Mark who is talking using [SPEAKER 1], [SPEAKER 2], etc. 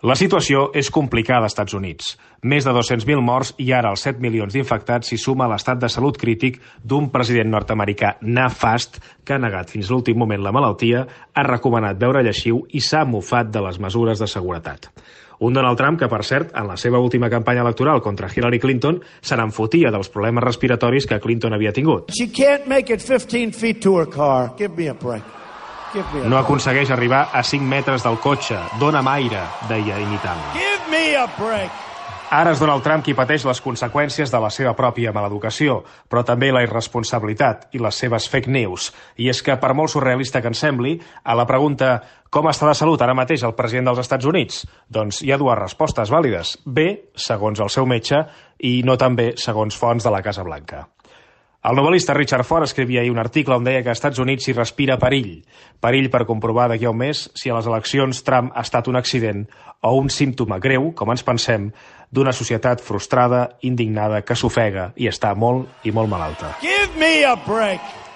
[SPEAKER 1] La situació és complicada als Estats Units. Més de 200.000 morts i ara els 7 milions d'infectats s'hi suma l'estat de salut crític d'un president nord-americà nefast que ha negat fins l'últim moment la malaltia, ha recomanat beure lleixiu i s'ha mofat de les mesures de seguretat. Un Donald Trump que, per cert, en la seva última campanya electoral contra Hillary Clinton se n'enfotia dels problemes respiratoris que Clinton havia tingut.
[SPEAKER 2] She can't make it 15 feet to her car. Give me a break.
[SPEAKER 1] No aconsegueix arribar a 5 metres del cotxe. Dóna'm aire, deia imitant.
[SPEAKER 2] Give me a break.
[SPEAKER 1] Ara és Donald Trump qui pateix les conseqüències de la seva pròpia maleducació, però també la irresponsabilitat i les seves fake news. I és que, per molt surrealista que ens sembli, a la pregunta «Com està de salut ara mateix el president dels Estats Units?», doncs hi ha dues respostes vàlides. Bé, segons el seu metge, i no tan bé, segons fonts de la Casa Blanca. El novel·lista Richard Ford escrivia ahir un article on deia que als Estats Units s'hi respira perill. Perill per comprovar d'aquí a un mes si a les eleccions Trump ha estat un accident o un símptoma greu, com ens pensem, d'una societat frustrada, indignada, que s'ofega i està molt i molt malalta.
[SPEAKER 2] Give me a break.